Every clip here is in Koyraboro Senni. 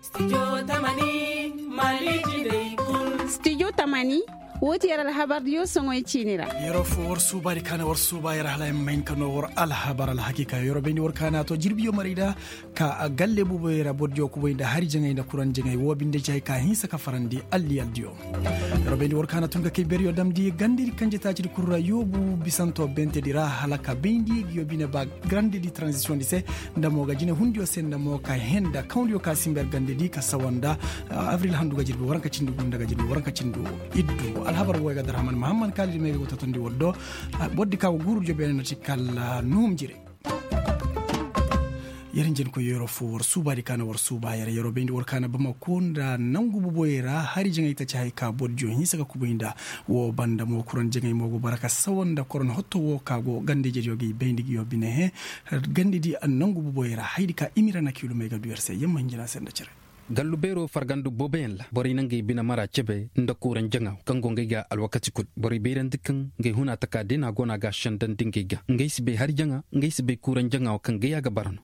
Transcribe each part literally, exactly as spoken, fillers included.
Studio tamani, woo ti yer alhabardiyo soŋoy ciini ra. Yeroo foo war suubaadi ka na war suuba yer hala ay ma hin ka noo war alhabar alhakiika yeroo bayndi war ka na to jirbiyo maray da ka galle buuboyey ra bordiyo kubay nda hari jaŋay nda kuraŋ jaŋay woo binde ci hay ka hinsa ka farandi alliyaldiyo. Yeroo bayndi war ka na tun ka kay beryo damndi gandedi kanjetaacidi kul ra yoobu bisanto bentedi ra hala ka bayndi ngiyo bine ba grandedi tranzisiyoŋdi se nda mo ga jinehundiyo se nda mo ka henda kawndiyo ka simba yer gandedi ka sawa nda abril handu ga jirbi waranka cindi gu nda ga jirbi waranka cindi iddu. Alhabar woo ay ga darhaman mahamman kaalidi may ga go totondi war do. Bordi ka go guuru jobeene no ti kala nuhum jire. Yer njenkoy yeroo foo war suubaadi ka na war suuba yer yeroo bayndi war ka na bamako nda nangu buuboyey ra hari jaŋay ta ci hay ka bordiyo hinsa ka kubay nda. Woo banda mo kuraŋ jaŋay mo go bara ka sawa nda koroŋ hotto woo ka go gandejediyo ga i bayndi ngiyo bine he. Gandedi nangu buuboyey ra hayadi ka imira na kiilumey ga du yer se yer ma hinjina se nda cere. Gallu beeroo farganda booboyaŋ ra borey na ngey bine mara cebe nda kuuraŋ jaŋaaw kaŋ go ngey ga alwakati kul. Borey bayrandi kaŋ ngey huna taka day no a go no a ga a sendandi ngey ga ngey si bay hari jaŋa ngey si bay kuuraŋ jaŋaaw kaŋ gay a ga bara no.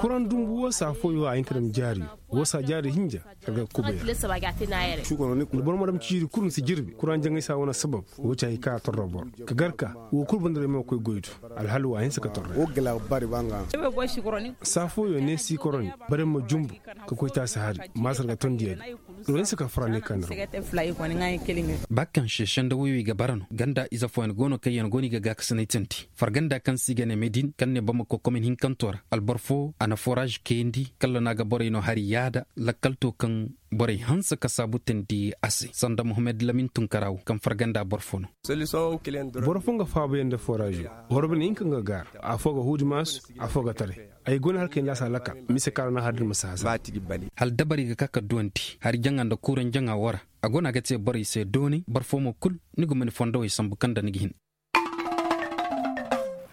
Kuraŋ dumbu woo saa fooyo a hin ka dam jaari woo saa jaari hinja. Kala ga kubay ra nda boro ma dam ciiri kul ma si jirbi kuraŋ jaŋay saa wane sabab. Woo ci hay ka a torro boro ka gar ka woo kul bandaray ma koy goy do. Alhal waa hinsa ka torro. Saa fooyo ne si koroni barey ma jumbu ka koy taasi hari maasar ga tondiya di. Woo hinsa ka fara ne ka nda ra. Ba kaŋ se senda woy wey ga bara no ganda ize fooyaŋ go no kaŋ yaŋ go no i ga gaakasinay tandi farganda kaŋ se i ga ne medin kaŋ ne bamako komin hinkanto ra alboro foo a na foraaz kayandi kala no a ga borey no hari yaada lakkal to kaŋ borey hanse ka saabu teendi a se sanda mohammed lamin tunkaraawo kaŋ farganda boro fo no. Boro fo nga faabuyaŋ nda foraazo. Boro bine hinka nga gaara. Afoo ga huudi maasu. Afoo ga taray. Ay go no hala kay nda a si halaka mise kaŋ a ra na har da ni ma si hasara. Hala dabari ga ka ka duwandi hari jaŋa nda kuuraŋ jaŋa woo ra. A go no a ga te borey se doonay boro fo mo kul ni guma ni fondowey sambu kaŋ nda ni ga hin.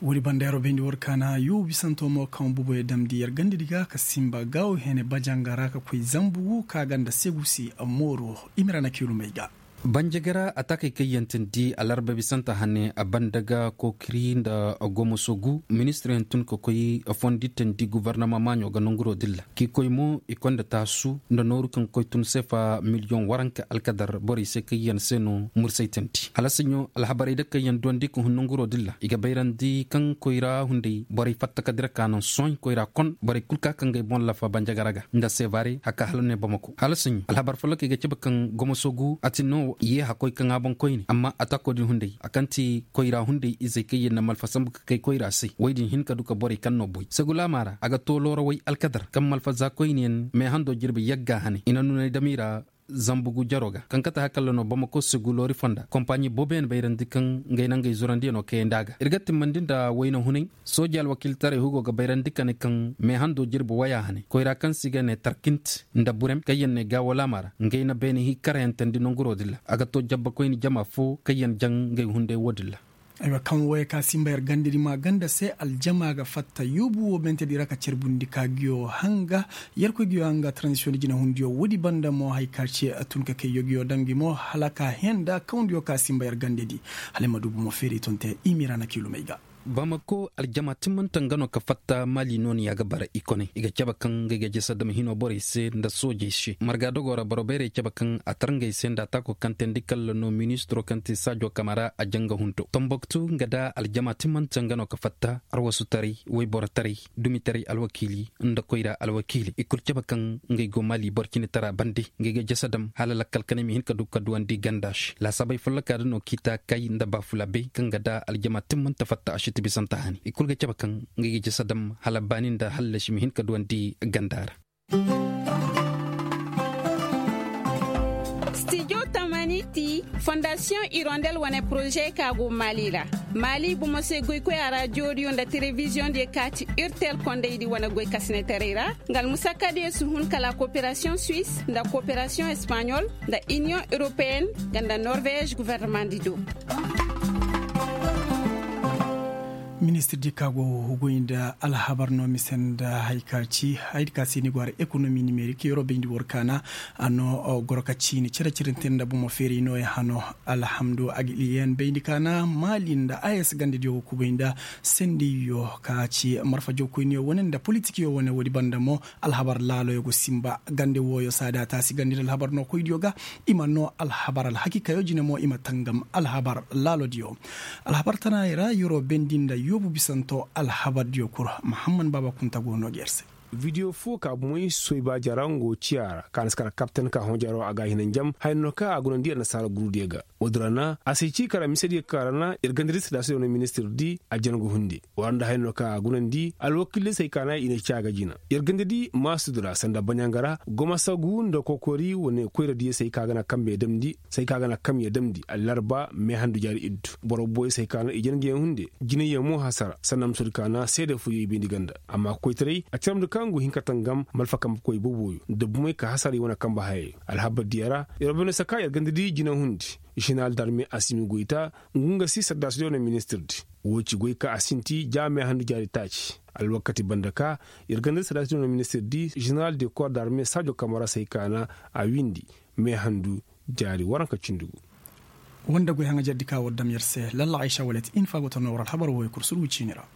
Woodi banda yeroo bayndi war kaana yoo bisanto mo kaŋ buboyo damndi yer gandadi ga ka sinba gaawo hene bajanga ra ka koy zambu ka ganda segusi mooro. Imira na kiilumey ga. Banjagara atakey kaŋ yaŋ tindi alarba bisanta hane a banda ga kookiri nda gomoso gu ministiryaŋ tun ka koy fondi tindi gobornama maaɲo ga nanguro dilla k'i koy mo i konda taasu nda nooru kaŋ koy tun seefa miliyoŋ waranka alkadar borey se kaŋ yaŋ se no mursay tandi hala saɲɲo alhabarey da kaŋ yaŋ duwandi ka hun nanguro din ra i ga bayrandi kaŋ koyra hunday borey fatta ka dira ka naŋ sohõ koyra kon borey kul ka kaŋ ga ay boŋ lafa banjagara ga nda sevare haka hala ne bamako hala saɲɲo alhabar folloka i ga cabe kaŋ gomoso gu a tin no ye hakoy kaŋ a boŋ koyne amma atako din hunday a kaŋ ti koyra hunday izey kaŋ yaŋ na malfa sambu ka kay koyra se woy din hin ka du ka borey kaŋ no boy segulaama ra a ga to loorawey alkadar kaŋ malfa za koyne yaŋ meehando jirbi yagga hane i na nunay dam i ra zambugu jaro ga kaŋ kate hakalla no bamako segu loori fonda kompaɲi booboyaŋ bayrandi kaŋ ngey na ngey zurandiyano kayandi a ga ir ga timmandi nda wayna hunay sooji alwakiiltaray hugo ga bayrandi ka ne kaŋ meehando jirbi waya hane koyra kaŋ se i ga ne tarkint nda burem kaŋ yaŋ ne gaawalaama ra ngey na beene hii karayantandi nanguro din ra a ga to jabbakoyni jama fo kaŋ yaŋ jaŋ ngey hunday wo- din ra. Aywa kaŋ wooyo ka sinba yer gandadi ma ganda se aljama ga fatta yoobu wo mentedi ra ka carbundi ka ngiyo hanga yerkoy ngiyo hanga tranzisiyoŋ di jinahundiyo woodi banda mo haya ka ce a tun ka kay yogiyo daŋ ngi mo hala ka henda kawndiyo ka sinba yer gandadi. Hala ay ma du bomo feeri ton te i ma i ra na kiilumey ga. Bamako aljama timmanta nga no ka fatta maali nooniya ga bara i kone i ga cabe kaŋ nga i ga jese dam hino borey se nda soojey se marga dogo ra boro bayrey cabe kaŋ a tar ngey se nda ataako kaŋ teendi kalla no ministiro kaŋ ti saajo kamara a janga hunto tomboktu nga da aljama timmanta nga no ka fatta arwasutaray wayborotaray dumitaray alwakiili nda koyra alwakiili i kul cabe kaŋ ngey go maali boro cine tara bande ngey ga jese dam hala lakkal kanay ma hin ka du ka duwandi ganda se laasaabey folloka da no kiita kay nda baafula bay kaŋ ga da aljama timmanta fatta a si ti bisanta hani i kul ga cabe kaŋ ngey ga jese dam hala baani nda hallasi ma hin ka duwandi ganda ra. Stijo tamani ti fondasiyoŋ irondel wane poroze ka go maali ra. Maali bomo se goykoya ra jooriyo nda telebiziyoŋ diyo ka ti urtel kondaydi wane goy kasinetaray ra nga almusakka diyo si hun kala koperasiyoŋ suwis nda koperasiyoŋ espaɲol nda iniyoŋ europeyenne nga nda norvez guvernemandi do. Ministir di ka go goy nda alhabar no mise nda hay ka ci hay ka se ni go har ekonomi nimerik yoro bayndi boro kaana a no goro ka ciini cere cirinte nda bomo feeray nooya hano. Alhamdu agiliyen bayndi kaana maali nda a s gandediyo go kubay nda sendiyo ka ci marfajo koyniyo wane nda politikiyo wane woodi banda mo alhabar laaloyo go sinba gande wooyo saada taasi gande nda alhabar no koydiyo ga i ma no alhabar alhakiikayo jine mo i ma tangam alhabar laalodiyo. Alhabar tanaayey ra yoro bendi nda yoobu bisanto alhabardiyo kul. Mahammad baaba kunta go no ga yer se. Video fo ka bomoy soyba jara ngo ciya ra ka na si kara kapten ka hõ jaro a ga hina njam haya no ka a gunandi annasaara gurudiyo ga. Woodi ra na a si ci kara misediyo ka ra na yer gandadi sadaasidiyo wane ministir di a jangu hundi. War nda haya no ka a gunandi alwakildiyo se hay ka na i na ci a ga jina. Yer gandadi maasudi ra sanda baɲanga ra goma sagu nda kokori wane koyradiyo se hay ka ga na kambe damndi se hay ka ga na kamye damndi allarba meehandu jaari iddu boro boyey se hay ka na i janguyaŋ hunde. Jinayyaŋ mo hasara sanda musudi ka na seede fooyoy bayndi ganda amma koytaray a caramndi ka ngu hin ka tangam malfa kambe koy booboyo nda bumey ka hasara i wane kambe hayey. Alhabardiyo ra yer wane saka yer gandadi jinahundi. Ženeral darme asimi goyta ngu nga si sardaasidiyo wane ministirdi. Woo ci goy ka a sinti ja meehandu jaari taaci alwakati banda ka yer gandadi sardaasidiyo wane ministirdi ženeral de kor darme saajo kamara se hay ka na a windi meehandu jaari waranka cindi gu. Woo nda goy haŋajerdi ka war dam yer se lalla aysa walet infa go ta noo war alhabar wooyo kul surgu ciini ra.